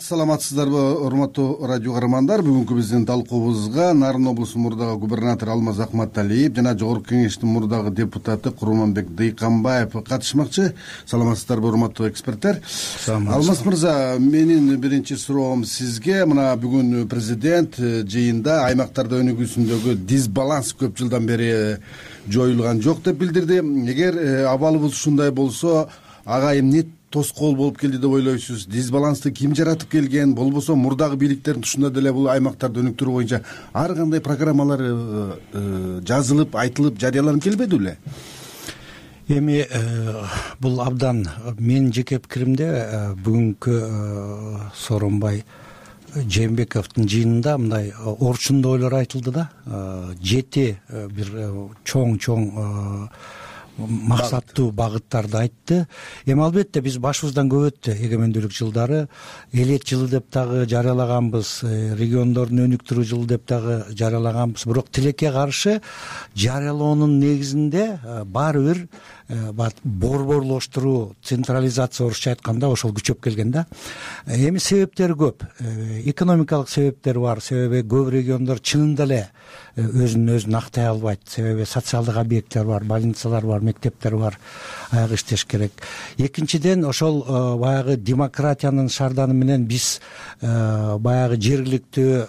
саламатсыздарбы, урматтуу радио каармандар. Бүгүнкү биздин талкуубузга Нарын облусунун мурдагы губернатору Алмаз Акматалиев жана Жогорку Кеңештин мурдагы депутаты Курманбек Дыйканбаев катышмакчы. Саламатсыздарбы, урматтуу эксперттер. Алмаз мырза, менин биринчи суроом сизге. Мына бүгүн президент жыйында аймактарда өнүгүүсүндөгү дисбаланс көп жылдан бери жоюлган жок деп билдирди. Эгер абалыбыз ушундай болсо, ага эмне тоскоол болуп келди деп ойлойсуз? Дисбалансты ким жаратып келген? Болбосо мурдагы бийликтердин тушунда деле бул аймактарды өнүктүрүү боюнча ар кандай программалар жазылып, айтылып, жарыяланып келбеди беле? Эми бул абдан менин жеке пикиримде бүгүнкү Сооронбай Жээнбековдун жыйынында мындай орчундуу ойлор айтылды да. 7 бир чоң максаттуу багыттарды айтты. Эми албетте биз башыбыздан көп өттү. Эгемендүүлүк жылдары элет жылы деп дагы жарыялаганбыз, региондордун өнүктүрүү жылы деп дагы жарыялаганбыз. Бирок тилекке каршы жарыялоонун негизинде баары бир борборлоштуруу, централизация орусча айтканда ошол күчөп келген да. Эми себептери көп. Экономикалык себептер бар. Себеби көп региондор чынында эле өзүн актай албайт. Себеби социалдык объекттер бар, больницалар бар, мектептер бар, аяк иштеш керек. Экинчиден, ошол баягы демократиянын шарданы менен биз баягы жергиликтүү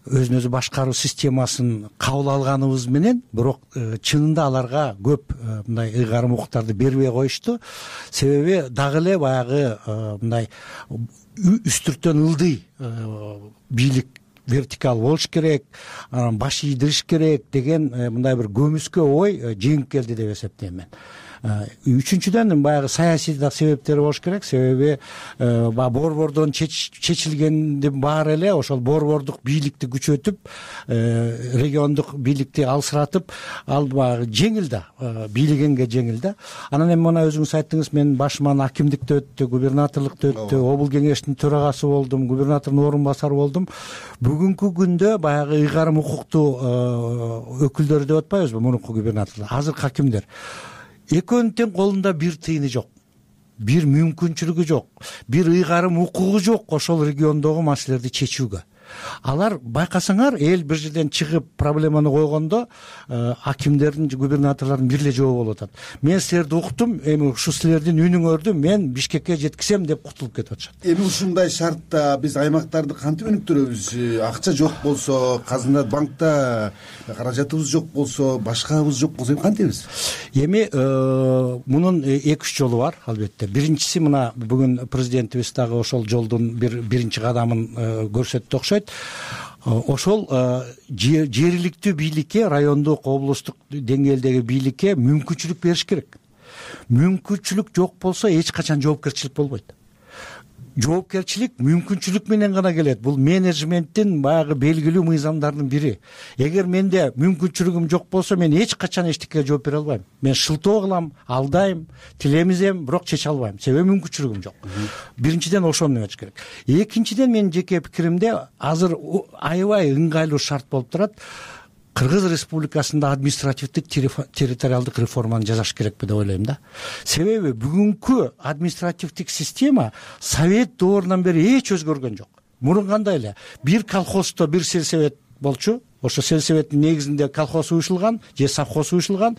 өзүн өзү башкаруу системасын кабыл алганыбыз менен, бирок чынында аларга көп мындай ыйгарым укуктарды бербей коюшту. Себеби дагы эле баягы мындай үстүртөн ылдый бийлик вертикал болуш керек, баш ийдириш керек деген мындай бир көмүскө ой жеңип келди деп эсептейм мен. Үчүнчүдөн, баягы саясий да себептери болуш керек. Себеби борбордон чечилгендин баары эле ошол борбордук бийликти күчөтүп, региондук бийликти алсыратып, ал баягы жеңил да, бийлегенге жеңил да. Анан эми мына өзүңүз айттыңыз, мен башыман акимдикте өттү, губернаторлукта өттү, обул кеңештин төрагасы болдум, губернатордун орун басары болдум. Бүгүнкү күндө баягы ыйгарым укуктуу өкүлдөр деп атпайбызбы, мурунку губернаторлор, азыркы акимдер. Экөөнүн тең колунда бир тыйыны жок, бир мүмкүнчүлүгү жок, бир ыйгарым укугу жок ошол региондогу маселелерди чечүүгө. Алар байкасаңар, эл бир жерден чыгып проблеманы койгондо акимдердин, губернаторлордун бир эле жообу болуп атат. Мен силерди уктум, эми ушу силердин үнүңөрдү мен Бишкекке жеткизем деп кутулуп кетип атышат. Эми ушундай шартта биз аймактарды кантип өнүктүрөбүз? Акча жок болсо, казына банкта каражатыбыз жок болсо, башкабыз жок болсо, кантебиз? Эми мунун 2-3 жолу бар, албетте. Биринчиси, мына бүгүн президентибиз дагы ошол жолдун биринчи кадамын көрсөттү окшойт. Ошол жергиликтүү бийликке, райондук, облустук деңгээлдеги бийликке мүмкүнчүлүк бериш керек. Мүмкүнчүлүк жок болсо эч качан жоопкерчилик болбойт. Жоопкерчилик мүмкүнчүлүк менен гана келет. Бул менеджменттин баягы белгилүү мыйзамдарынын бири. Эгер менде мүмкүнчүлүгүм жок болсо, мен эч качан эчтекеге жооп бере албайм. Мен шылтоо кылам, алдайм, тилемизем, бирок чече албайм. Себеби мүмкүнчүлүгүм жок. Биринчиден ошону эметиш керек. Экинчиден, менин жеке пикиримде, азыр аябай ыңгайлуу шарт болуп турат. Кыргыз Республикасында административдик территориалдык реформаны жасаш керекпи деп ойлойм да. Себеби бүгүнкү административдик система Совет доорунан бери эч өзгөргөн жок. Мурун кандай эле бир колхоздо бир сельсовет болчу, ошо сельсоветтин негизинде колхоз уюшулган же совхоз уюшулган.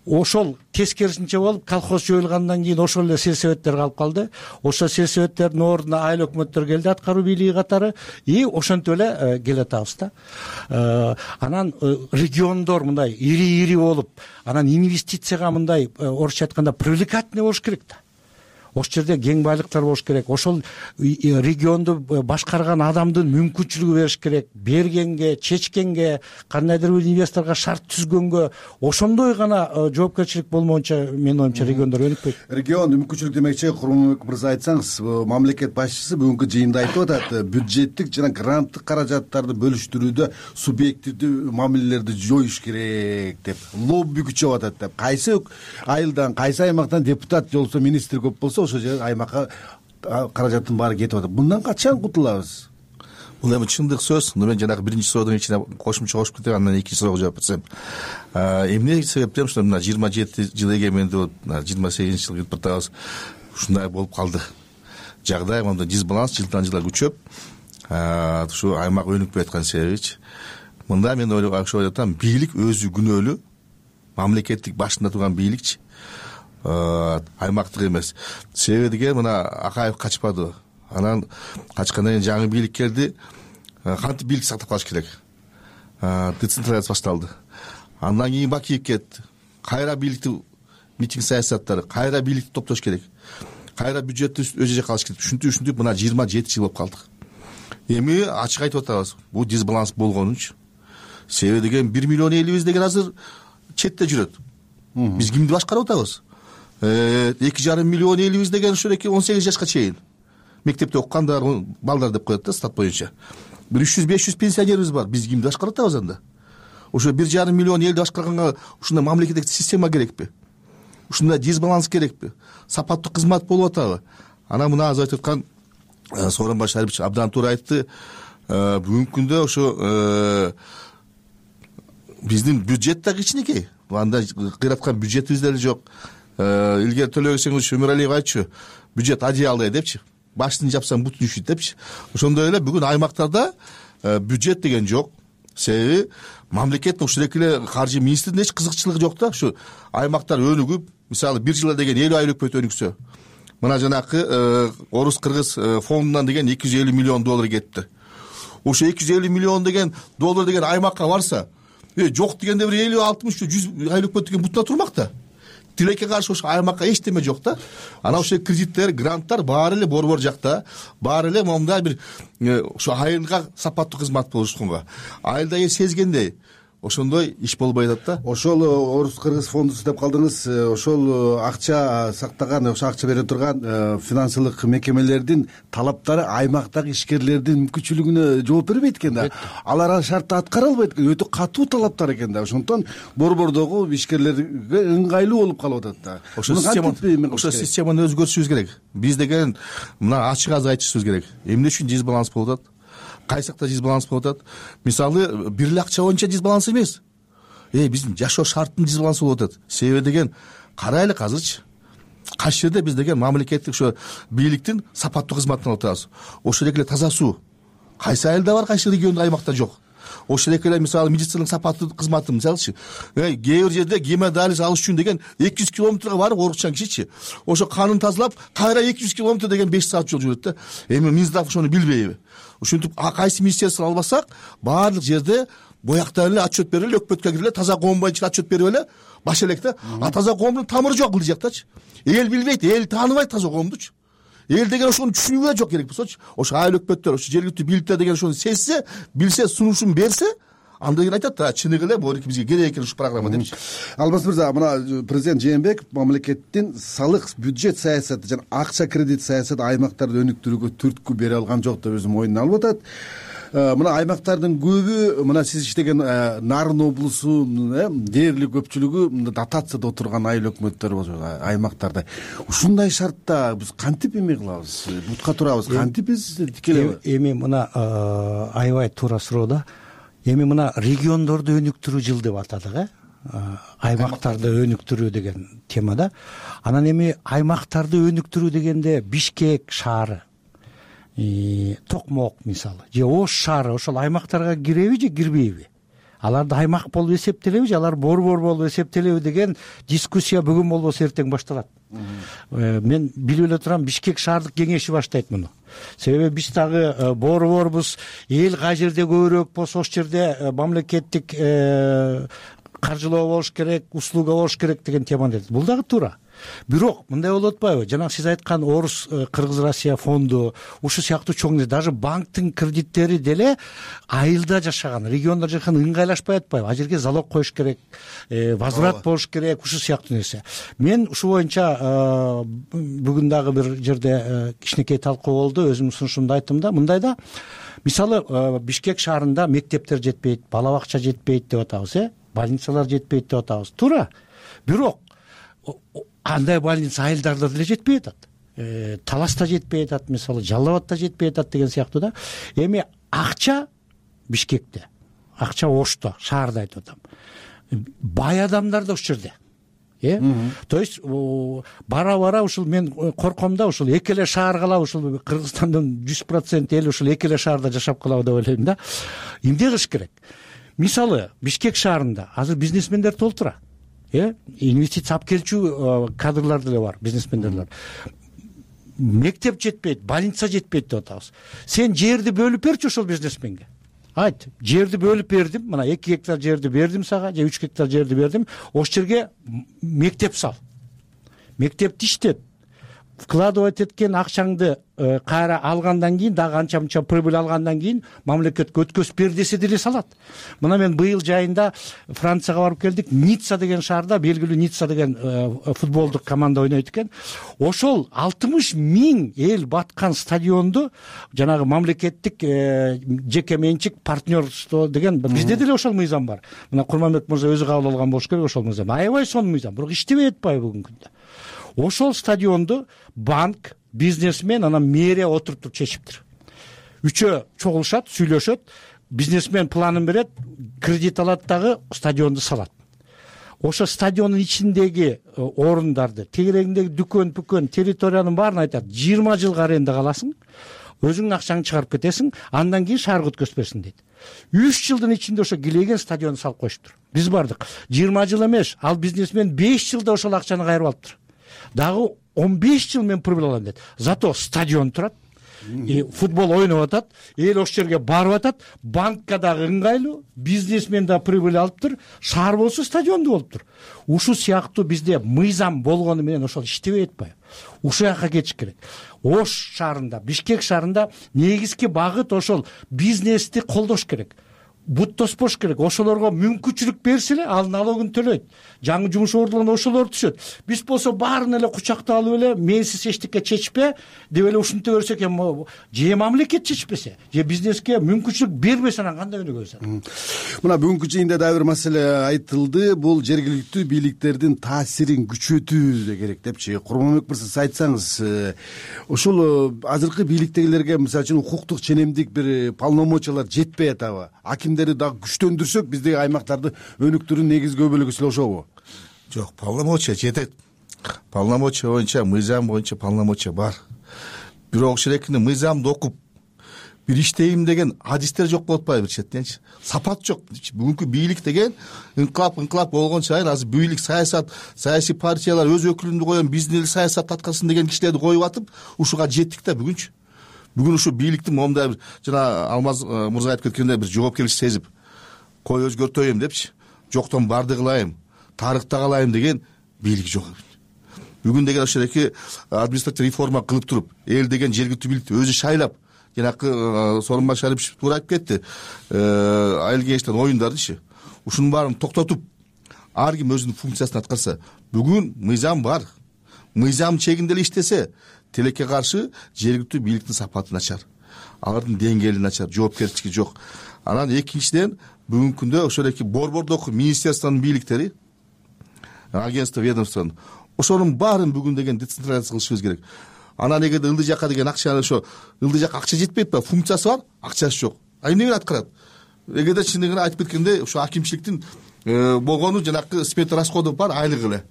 Ошол тескерисинче болуп, колхоз жоюлгандан кийин ошол эле сельсоветтер калып калды. Ошо сельсоветтердин ордуна айыл өкмөттөр келди, аткаруу бийлиги катары, и ошентип эле келатабыз да. Анан региондор мындай ири-ири болуп, анан инвестицияга мындай орусча айтканда привлекательный болуш керек да. Ошол жерде кең байлыктар болуш керек. Ошол регионду башкарган адамдын мүмкүнчүлүгү бериш керек. Бергенге, чечкенге, кандайдыр бир инвесторго шарт түзгөнгө, ошондой гана жоопкерчилик болмоюнча, менин оюмча, региондор өнүкпөйт. Регион мүмкүнчүлүк демекчи, Курманбек мырза, айтсаңыз, мамлекет башчысы бүгүнкү жыйында айтып атат, бюджеттик жана гранттык каражаттарды бөлүштүрүүдө субъективдүү мамилелерди жоюш керек деп, лобби күчөп атат деп. Кайсы айылдан, кайсы аймактан депутат же болбосо министр көп болсо, ошол жер аймакка каражаттын баары кетип атат. Мындан качан кутулабыз? Бул эми чындык сөз. Мен жанагы биринчи суроодон ичине кошумча кошуп кетем, андан экинчи суроого жооп берсем. Эмне себептен ушул мына 27 жыл эгемендүү болуп, 28 жыл кирип атабыз. Ушундай болуп калды. жагдай мындай дисбаланс жылдан жылга күчөп ушу аймак өнүкпөй аткан себебичи мында мен ойлоп атам, бийлик өзү күнөөлүү, мамлекеттик башында турган бийликчи аймактык эмес. Себеби деген мына Акаев качпады, анан качкандан кийин жаңы бийлик келди, кантип бийлик сактап калыш керек, децентрализация башталды. Андан кийин Бакиев кетти, кайра бийликти митинг саясаттары, кайра бийликти топтош керек, кайра бюджетти өз жакка алыш керек. Ушинтип мына 27 жыл болуп калдык. Эми ачык айтып атабыз, бул дисбаланс болгонунчу. Себеби деген 1 миллион элибиз деген азыр четте жүрөт. Биз кимди башкарып атабыз? 2,5 миллион элибиз деген ушул 18 жашка чейин мектепте окугандар, балдар деп коет да стат боюнча. 300-500 пенсионерибиз бар. Биз кимди башкарып атабыз анда? Ошо 1,5 миллион элди башкарганга ушундай мамлекеттик система керекпи? Ушундай дисбаланс керекпи? Сапаттуу кызмат болуп атабы? Анан мына азыр айтып аткан Сооронбай Шарипович абдан туура айтты. Бүгүнкү күндө ошо биздин бюджет да кичинекей. Анда кыйраткан бюджетибиз деле жок. Илгери Төлөгөсеңиз Өмүралиев айтчу, бюджет одеялдай депчи. Башын жапсаң бутун үшүйт депчи. Ошондой эле бүгүн аймактарда бюджет деген жок. Себеби мамлекеттин ушул эле каржы министринин эч кызыкчылыгы жок да. Ушу аймактар өнүгүп, мисалы бир жылда деген 50 айлык өкмөт өнүксө, мына жанакы орус-кыргыз фондунан деген 250 миллион доллар кетти. Ошо 250 миллион деген доллар деген аймакка барса, жок дегенде бир 50-60-100 айлык өкмөт деген бутуна турмак да. Тилекке каршы ошо аймакка эчтеме жок да. Анан ошо кредиттер, гранттар баары эле борбор жакта, баары эле момундай бир ошо айылга сапаттуу кызмат болушканга. Айылда сезгендей ошондой иш болбой атат да. Ошол орус-кыргыз фондусу деп калдыңыз. Ошол акча сактаган, ошо акча бере турган финансылык мекемелердин талаптары аймактагы ишкерлердин мүмкүнчүлүгүнө жооп бербейт экен да. Алар шартты аткара албайт экен. Өтө катуу талаптар экен да. Ошондон борбордогу ишкерлерге ыңгайлуу болуп калып атат да. Ошо системаны өзгөртүшүбүз керек. Биз деген мына ачык азыр айтышыбыз керек. Эмне үчүн дисбаланс болуп атат? Кайсы жакта дисбаланс болуп атат? Мисалы, бир эле акча боюнча дисбаланс эмес. Биздин жашоо шарттын дисбалансы болуп атат. Себеби деген карайлы азырчы. Кайсы жерде биз деген мамлекеттик ошо бийликтин сапаттуу кызматын алып атабыз. Ошол эле таза суу. Кайсы айылда бар, кайсы региондо аймакта жок. Ошол эле мисалы медициналык сапаттуу кызматы мисалычы. Кээ бир жерде гемодиализ алыш үчүн деген 200 километрге барып оорукчан кишичи. Ошо канын тазалап, кайра 200 километр деген 5 саат жол жүрөт да. Эми Минздрав ошону билбейби? Ушинтип кайсы министерство албасак, баардык жерде бояктан эле отчет берип эле өкмөткө кирип эле таза коом боюнча отчет берип эле баш элек да. Таза коомдун тамыры жок бул жактачы. Эл билбейт, эл тааныбайт таза коомдучу. Эл деген ошону түшүнүүгө жок керек болсочу. Ошо айыл өкмөттөр, ошо жергиликтүү бийликтер деген ошону сезсе, билсе, сунушун берсе, анда кийин айтат да, чыныгы эле бул бизге керек экен ушул программа депчи. Алмаз мырза, мына президент Жээнбеков мамлекеттин салык, бюджет саясаты жана акча кредит саясаты аймактарды өнүктүрүүгө түрткү бере алган жок деп өзү мойнуна алып атат. Мына аймактардын көбү, мына сиз иштеген Нарын облусунун дээрлик көпчүлүгү дотацияда отурган айыл өкмөттөр болчу аймактарда. Ушундай шартта биз кантип эме кылабыз? Бутка турабыз, кантип биз тикелей? Эми мына аябай туура суроо да. Эми мына региондорду өнүктүрүү жыл деп атадык, аймактарды өнүктүрүү деген темада. Анан эми аймактарды өнүктүрүү дегенде Бишкек шаары, Токмок мисалы, же Ош шаары ошол аймактарга киреби же кирбейби? Аларды аймак болуп эсептелеби же алар борбор болуп эсептелеби деген дискуссия бүгүн болбосо эртең башталат. Мен билип эле турам, Бишкек шаардык кеңеши баштайт муну. Себеби биз дагы борборбуз, эл кай жерде көбүрөөк болсо ошол жерде мамлекеттик каржылоо болуш керек, услуга болуш керек деген теманы айтат. Бул дагы туура. Бирок мындай болуп атпайбы? Жана сиз айткан Орус Кыргыз Россия фонду, ушул сыяктуу чоң даже банктын кредиттери деле айылда жашаган, региондо жашаган ыңгайлашпай атпайбы? А жерге залог коюш керек, возврат болуш керек, ушул сыяктуу нерсе. Мен ушул боюнча бүгүн дагы бир жерде кичинекей талкуу болду, өзүмдүн сунушумду айттым да. Мындай да, мисалы Бишкек шаарында мектептер жетпейт, бала бакча жетпейт деп атабыз, больницалар жетпейт деп атабыз. Туура. Бирок андай больница айылдарда деле жетпей атат. Таласта жетпей атат, мисалы Жалал Абадта жетпей атат деген сыяктуу да. Эми акча Бишкекте, акча Ошто, шаарда айтып атам. Бай адамдар да ошол жерде. То есть бара ушул мен корком да, ушул эки эле шаар калабы, ушул Кыргызстандын 100% эли ушул эки эле шаарда жашап калабы деп ойлойм да. Эмне кылыш керек? Мисалы Бишкек шаарында азыр бизнесмендер толтура. Инвестиция алып келчү кадрлар деле бар, бизнесмендер. Мектеп жетпейт, больница жетпейт деп атабыз. Сен жерди бөлүп берчи ошол бизнесменге. Айт, жерди бөлүп бердим, мына 2 гектар жерди бердим сага, же 3 гектар жерди бердим, ошол жерге мектеп сал. Мектепти иштет. Вкладывать эткен акчаңды кайра алгандан кийин, дагы анча-мынча прибыль алгандан кийин мамлекетке өткөзүп бер десе деле салат. Мына мен быйыл жайында Францияга барып келдик. Ницца деген шаарда белгилүү Ницца деген футболдук команда ойнойт экен. Ошол 60 000 эл баткан стадионду жанагы мамлекеттик жеке менчик партнерство деген бизде деле ошол мыйзам бар. Мына Курманбек мырза өзү кабыл алган болуш керек ошол мыйзам. Аябай сонун мыйзам, бирок иштебей атпайбы бүгүнкү күндө. Ошол стадионду банк, бизнесмен, анан мэрия отуруп чечиптир. Үчөө чогулушат, сүйлөшөт, бизнесмен планын берет, кредит алат дагы стадионду салат. Ошо стадиондун ичиндеги орундарды, тегерегиндеги дүкөн, территориянын баарын айтат. 20 жылга аренда каласың, өзүңдүн акчаңды чыгарып кетесиң, андан кийин шаарга өткөзбөсүң дейт. 3 жылдын ичинде ошо килеген стадионду салып коюштур. Биз бардык. 20 жыл эмес, ал бизнесмен 5 жылда ошол акчаны кайрып алыптыр. Дагы 15 жыл мен прибыль алам дейт. Зато стадион турат, футбол ойноп атат, эл ошол жерге барып атат, банкка дагы ыңгайлуу, бизнесмен да прибыль алыптыр, шаар болсо стадионду болуптур. Ушул сыяктуу бизде мыйзам болгону менен ошол иштебей атпайбы? Ушул жака кетиш керек. Ош шаарында, Бишкек шаарында негизги багыт ошол бизнести колдош керек. Бут тоспош керек. Ошолорго мүмкүнчүлүк берсе эле ал налогун төлөйт. Жаңы жумуш ордуларына ошолор түшөт. Биз болсо баарын эле кучакта алып эле менсиз эчтеке чечпе деп эле ушинте берсек эми же мамлекет чечпесе, же бизнеске мүмкүнчүлүк бербесе анан кандай өнүгөбүз? Мына бүгүнкү жыйында дагы бир маселе айтылды. Бул жергиликтүү бийликтердин таасирин күчөтүү керек депчи. Курманбек мырза, сиз айтсаңыз, ушул азыркы бийликтегилерге мисалы үчүн укуктук ченемдик бир полномочиялар жетпей атабы? Дагы күчтөндүрсөк биздеги аймактарды өнүктүрүүнүн негизги бөлүгү сил ошобу? Жок, полномочия жетет. Полномочия боюнча, мыйзам боюнча полномочия бар. Бирок ошол мыйзамды окуп бир иштейм деген адистер жок болуп атпайбы бир четтенчи? Сапат жок. Бүгүнкү бийлик деген инкылап болгон сайын азыр бийлик, саясат, саясий партиялар өз өкүлүндү коем, биздин эл саясат аткарсын деген кишилерди коюп атып, ушуга жеттик да бүгүнчү. Бүгүн ушу бийликтин момундай бир жана Алмаз мырза айтып кеткендей бир жоопкерчилик сезип, кой өзгөртөйм депчи, жоктон барды кылайын, тарыхта калайын деген бийлик жок. Бүгүн деген ошол эки административдик реформа кылып туруп, эл деген жергиликтүү бийликти өзү шайлап, жанакы Сооронбай Шарипович туура айтып кетти, айыл кеңештин оюндардычы. Ушунун баарын токтотуп, ар ким өзүнүн функциясын аткарса, бүгүн мыйзам бар. Мыйзам чегинде эле иштесе, тилекке каршы жергиликтүү бийликтин сапаты начар, алардын деңгээли начар, жоопкерчилиги жок. Анан экинчиден бүгүнкү күндө ошол эки борбордук министерствонун бийликтери, агентство, ведомствонун ошонун баарын бүгүн деген децентрализация кылышыбыз керек. Анан эгерде ылдый жакка деген акчаны ошо ылдый жакка акча жетпейт ба, функциясы бар, акчасы жок. Эмне менен аткарат? Эгерде чындыгын айтып кеткенде ошо акимчиликтин болгону жанакы спектр расходу бар, айлыгы эле.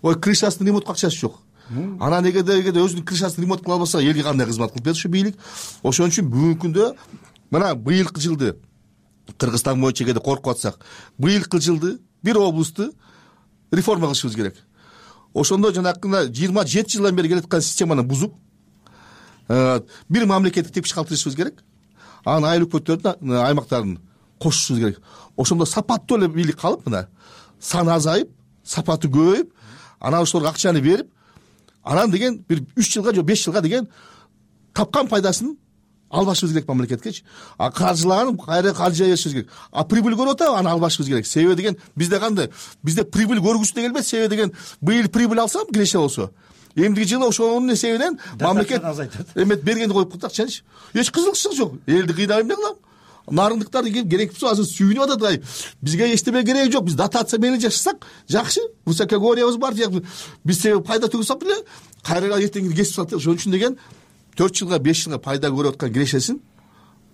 Ой, крышасын ремонтко акчасы жок. Анан эгерде өзүнүн крышасын ремонт кыла албаса, элге кандай кызмат кылып берет ушу бийлик? Ошон үчүн бүгүнкү күндө мына быйылкы жылды Кыргызстан боюнча эгерде коркуп атсак, быйылкы жылды бир облусту реформа кылышыбыз керек. Ошондо жанакы 27 жылдан бери келаткан системаны бузуп, бир мамлекеттик тепкич калтырышыбыз керек. Анан айыл өкмөттөрдүн аймактарын кошушубуз керек. Ошондо сапаттуу эле бийлик калып, мына саны азайып, сапаты көбөйүп, анан ошолорго акчаны берип, анан деген бир 3 жылга же 5 жылга деген тапкан пайдасын албашыбыз керек мамлекеткечи. Каржылаган кайра каржы беришибиз керек. Прибыль көрүп атабы, аны албашыбыз керек. Себеби деген бизде кандай? Бизде прибыль көргүсү да келбейт. Себеби деген быйыл прибыль алсам, киреше болсо, эмдиги жылы ошонун себебинен мамлекет эмет бергенди коюп калдыкчы. Эч кызыкчылык жок. Элди кыйнап эмне кылам? Нарындыктар керек болсо азыр сүйүнүп атат. Бизге эчтеме кереги жок. Биз дотация менен жашасак жакшы. Высокогорьябыз бар. Биз себеби пайда төгүсөк эле кайра эртеңки кесип салат. Ошон үчүн деген 4 жылга 5 жылга пайда көрүп аткан кирешесин,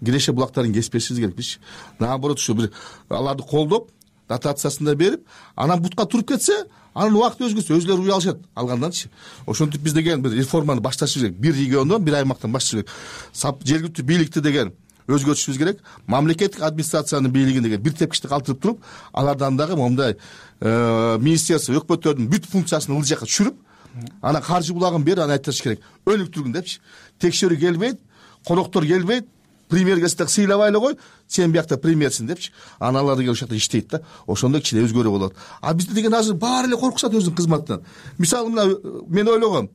киреше булактарын кеспешибиз керек. Биз наоборот ушу бир аларды колдоп, дотациясын да берип, анан бутка туруп кетсе, анан убакыт өзгөрсө өзүлөрү уй алышат алганданчы. Ошентип биз деген бир реформаны башташыбыз керек. Бир региондон, бир аймактан башташыбыз керек. Жергиликтүү бийликти деген өзгөртүшүбүз керек. Мамлекеттик администрациянын бийлигин деген бир тепкичти калтырып туруп, алардан дагы момундай министерство, өкмөттөрдүн бүт функциясын ыл жакка түшүрүп, анан каржы булагын берип, анан айтыш керек. Өнүктүргүн депчи. Текшерүү келбейт, коноктор келбейт, премьер келсе так сыйлабай эле кой, сен биякта премьерсиң депчи. Анан алар деген ошол жакта иштейт да. Ошондо кичине өзгөрүү болот. А бизде деген азыр баары эле коркушат өзүнүн кызматынан. Мисалы мына мен ойлогом,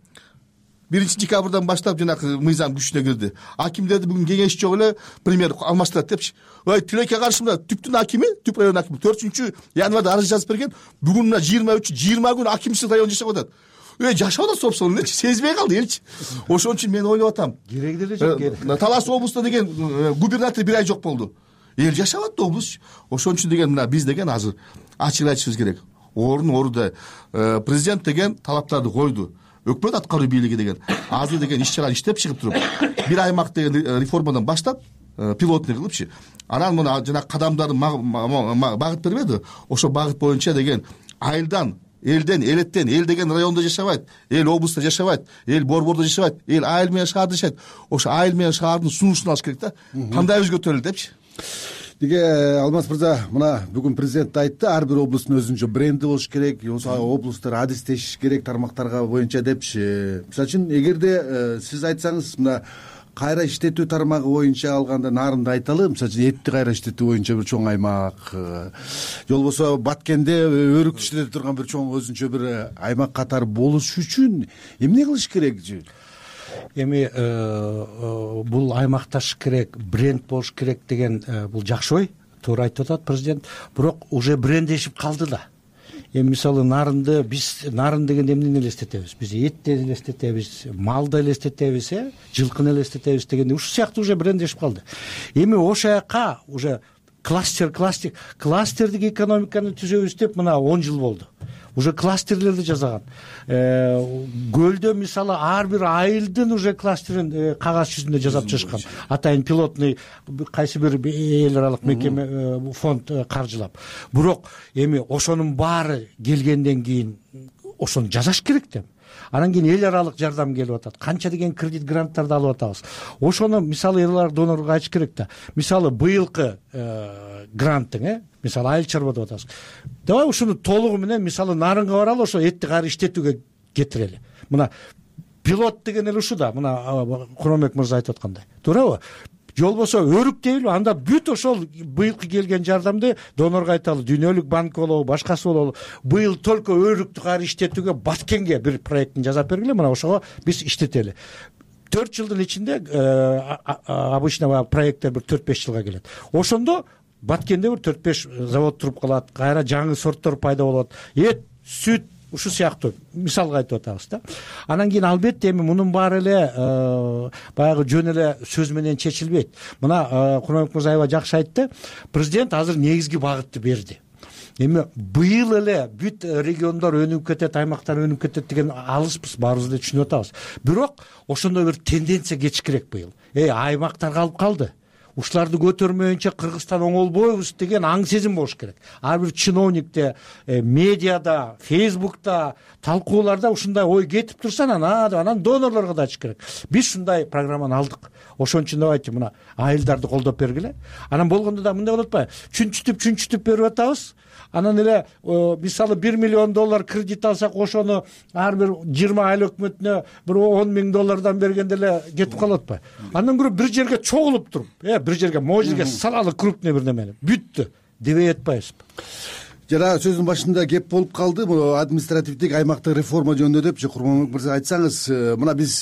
1-декабрдан баштап жанагы мыйзам күчүнө кирди. Акимдерди бүгүн кеңеш жок эле премьер алмаштырат депчи. Тилекке каршы мына Түптүн акими, Түп район акими 4-январда арыз жазып берген. Бүгүн мына 20 күн акимсиз район жашап атат. Жашап атат, собственно, элчи сезбей калды элчи. Ошон үчүн мен ойлоп атам. Кереги деле жок. Талас облустунда деген губернатор 1 ай жок болду. Эл жашап атты облус. Ошон үчүн деген мына биз деген азыр ачык айтышыбыз керек. Орунда президент деген талаптарды койду. Өкмөт аткаруу бийлиги деген азыр деген иш-чара иштеп чыгып туруп, бир аймак деген реформадан баштап, пилотный кылыпчы. Анан мына жана кадамдарды багыт бербеди. Ошо багыт боюнча деген айылдан, элден, элеттен, эл деген райондо жашабайт, эл облустта жашабайт, эл борбордо жашабайт, эл айыл менен шаарда жашайт. Ошо айыл менен шаардын сунушун алыш керек да. Кандай өзгөртөлү депчи. Деге Алмаз мырза, мына бүгүн президент айтты, ар бир облустун өзүнчө бренди болуш керек, облустар адистешиш керек тармактарга боюнча депчи. Мисалы үчүн, эгерде сиз айтсаңыз, мына кайра иштетүү тармагы боюнча алганда нарынды айталы, мисалы үчүн этти кайра иштетүү боюнча бир чоң аймак, же болбосо Баткенде өрүк иштете турган бир чоң өзүнчө бир аймак катары болуш үчүн эмне кылыш керек? Эми бул аймакташ керек, бренд болуш керек деген бул жакшы ой, туура айтып атат президент. Бирок уже брендешип калды да. Эми мисалы нарынды, биз нарын дегенде эмнени элестетебиз? Биз этти элестетебиз, малды элестетебиз, жылкыны элестетебиз дегенде ушул сыяктуу уже брендешип калды. Эми ошол жака уже кластердик экономиканы түзөбүз деп мына 10 жыл болду. Уже кластерлерди жасаган. Көлдө мисалы ар бир айылдын уже кластерин кагаз жүзүндө жасап чыгышкан. Атайын пилотный кайсы бир эл аралык мекеме, фонд каржылап. Бирок эми ошонун баары келгенден кийин ошону жасаш керек да. Анан кийин эл аралык жардам келип атат. Канча деген кредит гранттарды алып атабыз. Ошону мисалы эл аралык донорго айтыш керек да. Мисалы быйылкы гранттың, мисалы айыл чарба деп атабыз. Давай ушуну толугу менен мисалы нарынга баралы, ошо этти кайра иштетүүгө кетирели. Мына пилот деген эле ушу да, мына Куромбек мырза айтып аткандай. Туурабы? Же болбосо өрүк дейли, анда бүт ошол быйылкы келген жардамды донорго айталы, Дүйнөлүк банк болобу, башкасы болобу. Быйыл только өрүктү кайра иштетүүгө Баткенге бир проектин жасап бергиле, мына ошого биз иштетели. 4 жылдын ичинде обычно проекттер бир 4-5 жылга келет. Ошондо Баткенде бир 4-5 завод туруп калат, кайра жаңы сорттор пайда болот. Эт, сүт, ушул сыяктуу мисалга айтып атабыз да. Анан кийин албетте эми мунун баары эле баягы жөн эле сөз менен чечилбейт. Мына Куромбек мырза аябай жакшы айтты. Президент азыр негизги багытты берди. Эми быйыл эле бүт региондор өнүгүп кетет, аймактар өнүгүп кетет деген алыспыз, баарыбыз эле түшүнүп атабыз. Бирок ошондой бир тенденция кетишкирээк быйыл. Аймактар калып калды. Ушуларды көтөрмөйүнчө Кыргызстан оңолбойбуз деген аң сезим болуш керек. Ар бир чиновникте, медиада, Фейсбукта, талкууларда ушундай ой кетип турса, анан донорлорго да айтыш керек. Биз ушундай программаны алдык. Ошон үчүн давайте мына айылдарды колдоп бергиле. Анан болгондо да мындай болот атпайбы? Чүнчүтүп берип атабыз. Анан эле мисалы $1 миллион кредит алсак, ошону ар бир 20 айыл өкмөтүнө бир $10,000 бергенде эле кетип калат атпайбы? Андан көрө бир жерге чогулуп туруп, бир жерге, могу жерге салалы крупный бир немени бүттү дебей атпайбызбы? Жана сөздүн башында кеп болуп калды, бул административдик аймактык реформа жөнүндө депчи. Курманбек мырза, айтсаңыз, мына биз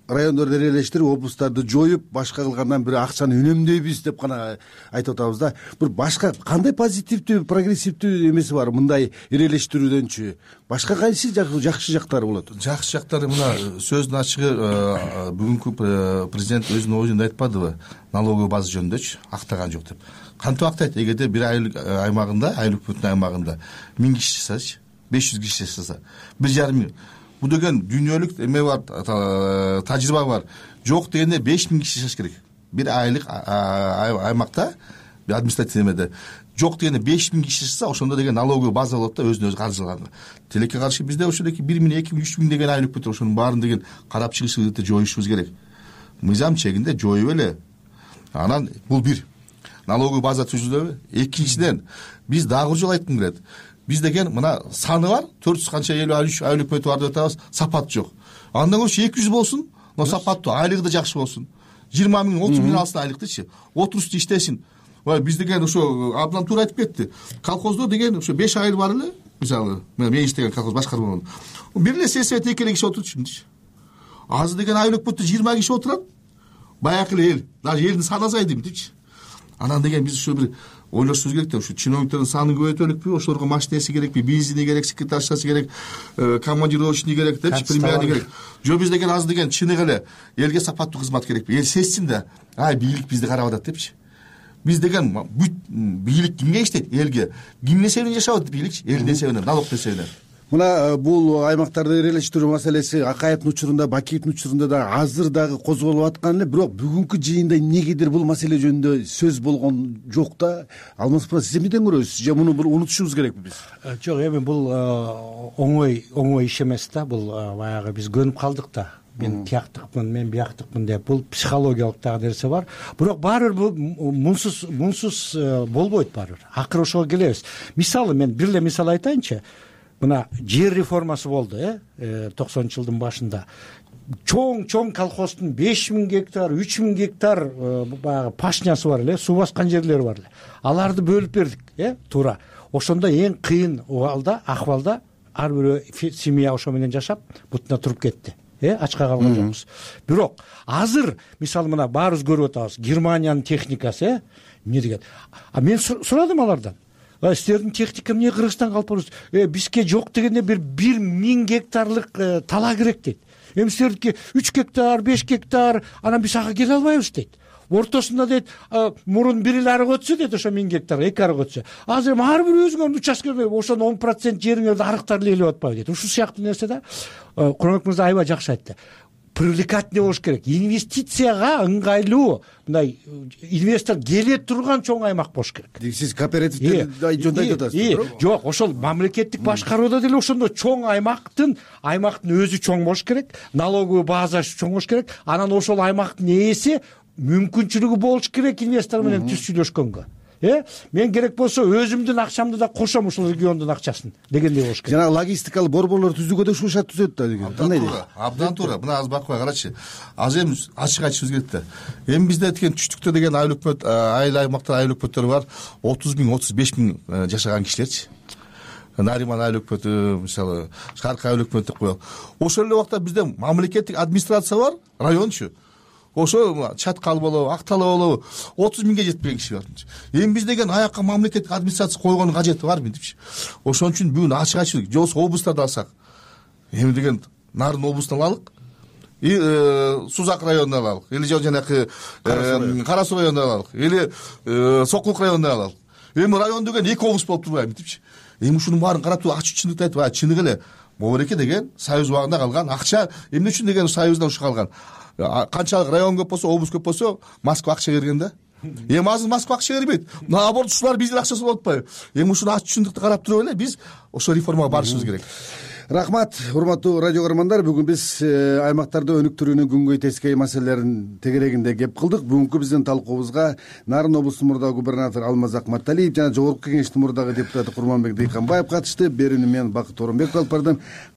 райондорду эрелештирип, облустарды жоюп, башка кылгандан бир акчаны үнөмдөйбүз деп гана айтып атабыз да. Бир башка кандай позитивдүү, прогрессивдүү эмеси бар мындай эрелештирүүдөнчү? Башка кайсы жакшы жактары болот? Жакшы жактары мына сөздүн ачыгы, бүгүнкү президент өзүнүн оюн айтпадыбы? Налоговый база жөнүндөчү актаган жок деп. Кантип актайт? Эгерде бир айыл аймагында, айыл өкмөтүнүн аймагында 1000 киши жашасачы, 500 киши жашаса, 1,5 миң. Бул деген дүйнөлүк эме бар, тажрыйба бар. Жок дегенде 5000 киши жашаш керек. Бир айылык аймакта административный эмеде жок дегенде 5000 киши чыкса ошондо деген налоговый база болот да өзүнө өзү каржылаган. Тилекке каршы бизде ошодоки 1000, 2000, 3000 деген айлык бүтөт. Ошонун баарын деген карап чыгышыбызды жоюшубуз керек. Мыйзам чегинде жоюп эле. Анан бул бир налоговый база түзүлөбү. Экинчиден биз дагы бир жолу айткым келет. Биз деген мына саны бар 400 канча 53 айлык бүтөт бар деп атабыз, сапат жок. Андан көрчү 200 болсун, но сапаттуу, айлыгы да жакшы болсун. 20 000, 30 000 алсын айлыктычы. Отурушта иштесин. Биз деген ошо абдан туура айтып кетти. Колхоздо деген ошо 5 айыл бар эле. Мисалы, мен иштеген колхоз башкармаган. Бир эле сессия экеле киши отурчумчу. Азыр деген айлык бүтө 20 киши отурат. Баягы эле эл, даже элдин саны азайды мынтипчи. Анан деген биз ошо бир ойлошубуз керек да, ушу чиновниктердин санын көбөйтөлүкпү, ошолорго машинеси керекпи, бензини керек, секретаршасы керек, командировочный керек депчи, премияны керек. Жо биз деген азыр деген чыныгы эле элге сапаттуу кызмат керекпи. Эл сезсин да, бийлик бизди карап атат депчи. Биз деген бүт бийлик кимге иштейт? Элге. Кимдин эсебинен жашап атат бийликчи? Элдин эсебинен, налог эсебинен. Мына бул аймактарды ирелештирүү маселеси Акаевдин учурунда, Бакиевдин учурунда да азыр дагы козголуп аткан эле, бирок бүгүнкү жыйында эмнегедир бул маселе жөнүндө сөз болгон жок да. Алмаз мырза, сиз эмнеден көрөсүз? Же муну бир унутушубуз керекпи биз? Жок, эми бул оңой иш эмес да. Бул баягы биз көнүп калдык да. Мен тияктыкмын, мен бияктыкмын деп. Бул психологиялык дагы нерсе бар. Бирок баары бир мунсуз болбойт баары. Акыры ошого келебиз. Мисалы мен бир эле мисал айтайынчы. Мына жер реформасы болду, 90-жылдын башында. Чоң колхоздун 5000 гектар, 3000 гектар баягы пашнясы бар эле, суу баскан жерлери бар эле. Аларды бөлүп бердик, туура. Ошондо эң кыйын акыбалда ар бир семья ошо менен жашап, бутуна туруп кетти. Ачка калган жокпуз. Бирок азыр мисалы мына баарыбыз көрүп атабыз, Германиянын техникасы, эмне деген. Мен сурадым алардан. Силердин техника эмне Кыргызстанга алып барасыз? Бизге жок дегенде бир 1000 гектарлык тала керек дейт. Эми силердики 3 гектар, 5 гектар, анан биз ага келе албайбыз дейт. Ортосунда дейт, мурун бир эле арык өтсө дейт, ошо 1000 гектар, 2 арык өтсө. Азыр ар бир өзүңөрдүн участкеңерде ошонун 10% жериңерди арыктар ээлеп атпайбы дейт. Ушул сыяктуу нерсе да. Курманбек мырза аябай жакшы айтты. Привлекательный болуш керек. Инвестицияга ыңгайлуу, мындай инвестор келе турган чоң аймак болуш керек. Сиз кооперативди жөнүндө айтып атасыз. Жок, ошол мамлекеттик башкарууда деле ошондой чоң аймактын өзү чоң болуш керек, налоговый базасы чоң болуш керек. Анан ошол аймактын ээси мүмкүнчүлүгү болуш керек инвестор менен түз сүйлөшкөнгө. Мен керек болсо өзүмдүн акчамды да кошом ушул региондун акчасын дегендей болуш керек. Жана логистикалык борборлор түзүүгө да ушул шарт түзөт да деген. Кандай дейт? Абдан туура. Мына азыр бакпай карачы. Азыр эми ачык айтышыбыз керек да. Эми бизде деген түштүктө деген айыл өкмөт, айыл аймактар айыл өкмөттөр бар. 30 000, 35 000 жашаган кишилерчи. Нариман айыл өкмөтү, мисалы, Шаркы айыл өкмөтү деп коелу. Ошол эле убакта бизде мамлекеттик администрация бар, райончу. Ошо Чаткал болобу, Актала болобу 30 000ге жетпеген киши бар. Эми биз деген аякка мамлекеттик администрация койгонун кажети барбы депчи. Ошон үчүн бүгүн ачык айтышып, жолсо облустарды алсак. Эми деген Нарын облусун алалык. Сузак районунан алалык. Или жанакы Кара Суу районунан алалык. Или Сокулук районунан алалык. Эми район деген 2 облус болуп турбайбы депчи. Эми ушунун баарын карап туруп ачык чындыкты айтып, чыныгы эле Бобореке деген Союз убагында калган акча эмне үчүн деген Союздан ушу калган. Канчалык район көп болсо, облус көп болсо, Москва акча берген да. Эми азыр Москва акча бербейт. Наоборот, ушулар биздин акчасы болуп атпайбы? Эми ушуну ачык чындыкты карап туруп эле биз ошо реформага барышыбыз керек. Рахмат, урматтуу радио көрөрмандар. Бүгүн биз аймактарды өнүктүрүүнүн күнгөй тескей маселелерин тегерегинде кеп кылдык. Бүгүнкү биздин талкуубузга Нарын облусунун мурдагы губернатору Алмаз Акматталиев жана Жогорку Кеңештин мурдагы депутаты Курманбек Дыйканбаев катышты. Берүүнү мен Бакыт Оронбеков алып бардым.